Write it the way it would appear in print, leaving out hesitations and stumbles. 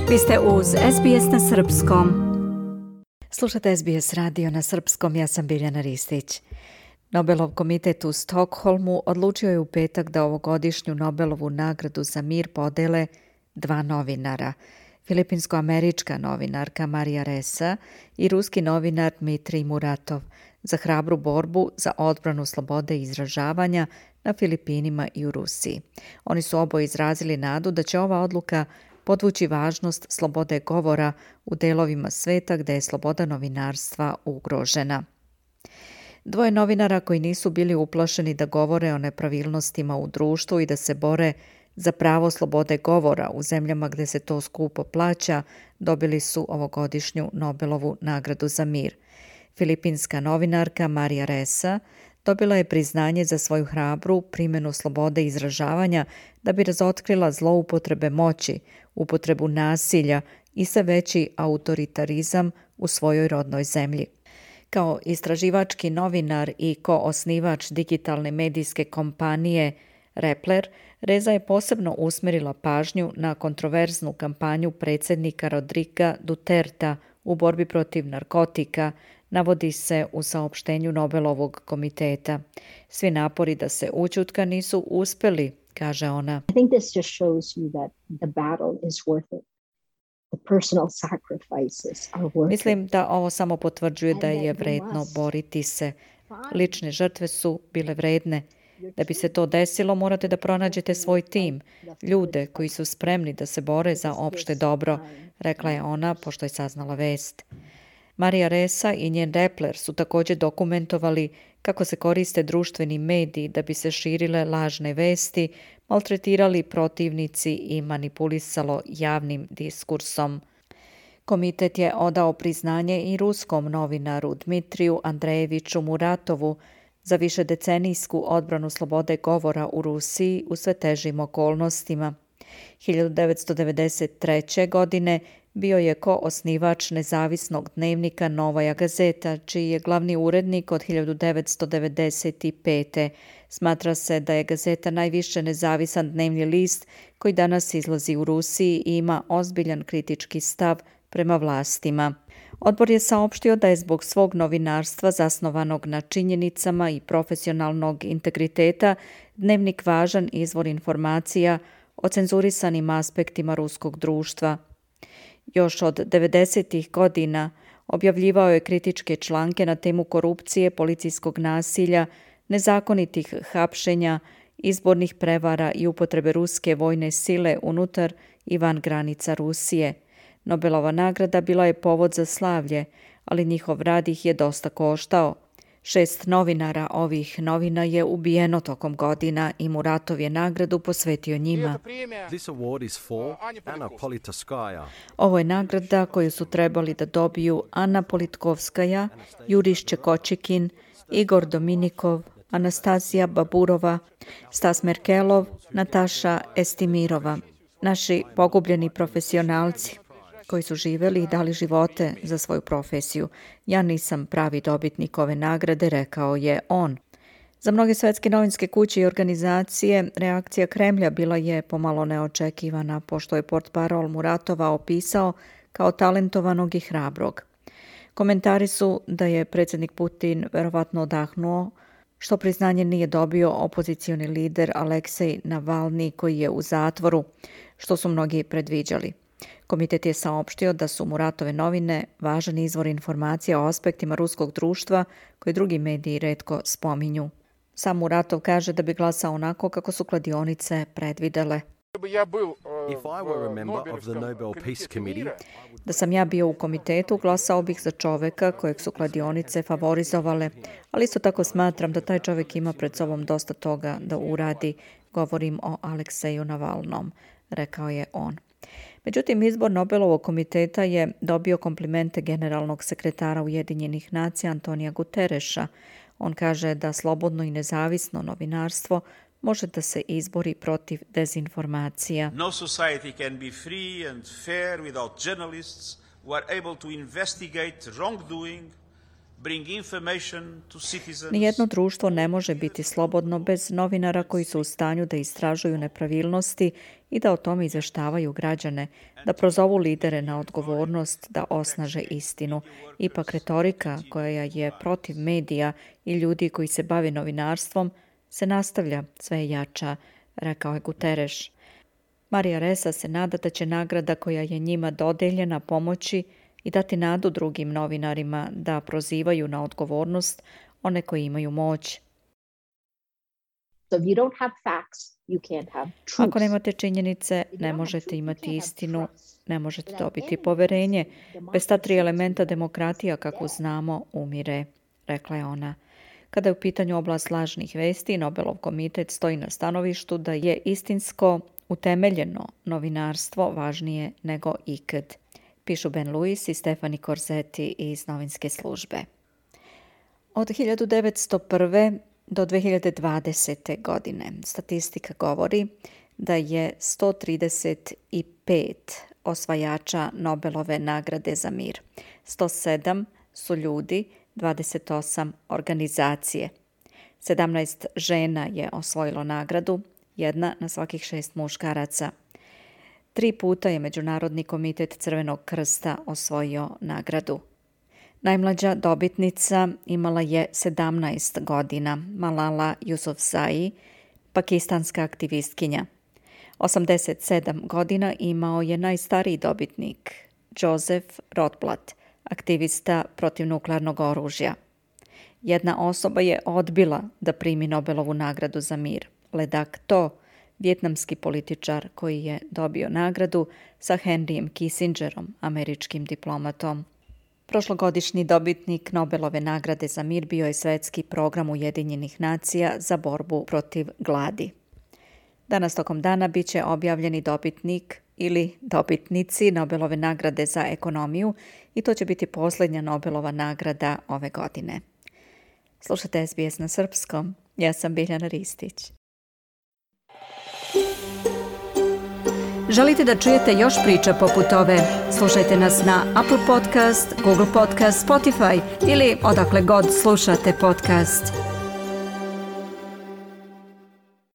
Vi ste uz SBS na srpskom. Slušate SBS radio na srpskom, ja sam Biljana Ristić. Nobelov komitet u Stokholmu odlučio je u petak da ovogodišnju Nobelovu nagradu za mir podele dva novinara. Filipinsko-američka novinarka Marija Ressa i ruski novinar Dmitrij Muratov za hrabru borbu za odbranu slobode izražavanja na Filipinima i u Rusiji. Oni su oboje izrazili nadu da će ova odluka podvući važnost slobode govora u delovima sveta gde je sloboda novinarstva ugrožena. Dvoje novinara koji nisu bili uplašeni da govore o nepravilnostima u društvu i da se bore za pravo slobode govora u zemljama gde se to skupo plaća, dobili su ovogodišnju Nobelovu nagradu za mir. Filipinska novinarka Marija Ressa dobila je priznanje za svoju hrabru primjenu slobode izražavanja da bi razotkrila zloupotrebe moći, upotrebu nasilja i sve veći autoritarizam u svojoj rodnoj zemlji. Kao istraživački novinar i koosnivač digitalne medijske kompanije Rappler, Reza je posebno usmjerila pažnju na kontroverznu kampanju predsjednika Rodriga Duterta u borbi protiv narkotika, navodi se u saopštenju Nobelovog komiteta. Svi napori da se ućutka nisu uspjeli, kaže ona. I think this just shows you that the battle is worth it. The personal sacrifices are worth it. Mislim da ovo samo potvrđuje da je vredno boriti se. Lične žrtve su bile vredne. Da bi se to desilo, morate da pronađete svoj tim, ljude koji su spremni da se bore za opšte dobro, rekla je ona pošto je saznala vest. Marija Ressa i njen Rappler su također dokumentovali kako se koriste društveni mediji da bi se širile lažne vesti, maltretirali protivnici i manipulisalo javnim diskursom. Komitet je odao priznanje i ruskom novinaru Dmitriju Andrejeviću Muratovu za višedecenijsku odbranu slobode govora u Rusiji u sve težim okolnostima. 1993. godine bio je koosnivač nezavisnog dnevnika Novaja Gazeta, čiji je glavni urednik od 1995. Smatra se da je Gazeta najviše nezavisan dnevni list koji danas izlazi u Rusiji i ima ozbiljan kritički stav prema vlastima. Odbor je saopštio da je zbog svog novinarstva zasnovanog na činjenicama i profesionalnog integriteta dnevnik važan izvor informacija o cenzurisanim aspektima ruskog društva. Još od 90. godina objavljivao je kritičke članke na temu korupcije, policijskog nasilja, nezakonitih hapšenja, izbornih prevara i upotrebe ruske vojne sile unutar i van granica Rusije. Nobelova nagrada bila je povod za slavlje, ali njihov rad ih je dosta koštao. 6 novinara ovih novina je ubijeno tokom godina i Muratov je nagradu posvetio njima. Ovo je nagrada koju su trebali da dobiju Anna Politkovskaja, Juriš Čekočikin, Igor Dominikov, Anastasija Baburova, Stas Merkelov, Nataša Estimirova. Naši pogubljeni profesionalci koji su živjeli i dali živote za svoju profesiju. Ja nisam pravi dobitnik ove nagrade, rekao je on. Za mnoge svetske novinske kuće i organizacije reakcija Kremlja bila je pomalo neočekivana, pošto je portparol Muratova opisao kao talentovanog i hrabrog. Komentari su da je predsjednik Putin verovatno odahnuo što priznanje nije dobio opozicioni lider Aleksej Navalni koji je u zatvoru, što su mnogi predviđali. Komitet je saopštio da su Muratove novine važan izvor informacija o aspektima ruskog društva koje drugi mediji retko spominju. Sam Muratov kaže da bi glasao onako kako su kladionice predvidele. Da sam ja bio u komitetu, glasao bih za čoveka kojeg su kladionice favorizovale, ali isto tako smatram da taj čovek ima pred sobom dosta toga da uradi. Govorim o Alekseju Navalnom, rekao je on. Međutim, izbor Nobelovog komiteta je dobio komplimente generalnog sekretara Ujedinjenih nacija Antonija Gutereša. On kaže da slobodno i nezavisno novinarstvo može da se izbori protiv dezinformacija. No society can be free and fair without journalists who are able to investigate wrongdoing bring information to citizens. Nijedno društvo ne može biti slobodno bez novinara koji su u stanju da istražuju nepravilnosti i da o tome izveštavaju građane, da prozovu lidere na odgovornost, da osnaže istinu. Ipak retorika koja je protiv medija i ljudi koji se bave novinarstvom se nastavlja sve jača, rekao je Guterres. Marija Ressa se nada da će nagrada koja je njima dodeljena pomoći i dati nadu drugim novinarima da prozivaju na odgovornost one koji imaju moć. Ako nemate činjenice, ne možete imati istinu, ne možete dobiti poverenje. Bez ta 3 elementa demokratija, kako znamo, umire, rekla je ona. Kada je u pitanju oblast lažnih vesti, Nobelov komitet stoji na stanovištu da je istinsko, utemeljeno novinarstvo važnije nego ikad, pišu Ben Lewis i Stefani Corsetti iz novinske službe. Od 1901. do 2020. godine statistika govori da je 135 osvajača Nobelove nagrade za mir. 107 su ljudi, 28 organizacije. 17 žena je osvojilo nagradu, 1 na svakih 6 muškaraca. 3 puta je Međunarodni komitet Crvenog krsta osvojio nagradu. Najmlađa dobitnica imala je 17 godina, Malala Yousafzai, pakistanska aktivistkinja. 87 godina imao je najstariji dobitnik, Joseph Rotblat, aktivista protiv nuklearnog oružja. Jedna osoba je odbila da primi Nobelovu nagradu za mir, Ledak To, vjetnamski političar koji je dobio nagradu sa Henryjem Kissingerom, američkim diplomatom. Prošlogodišnji dobitnik Nobelove nagrade za mir bio je Svetski program Ujedinjenih nacija za borbu protiv gladi. Danas tokom dana bit će objavljeni dobitnik ili dobitnici Nobelove nagrade za ekonomiju i to će biti posljednja Nobelova nagrada ove godine. Slušajte SBS na srpskom. Ja sam Biljana Ristić. Želite da čujete još priča poput ove? Slušajte nas na Apple Podcast, Google Podcast, Spotify ili odakle god slušate podcast.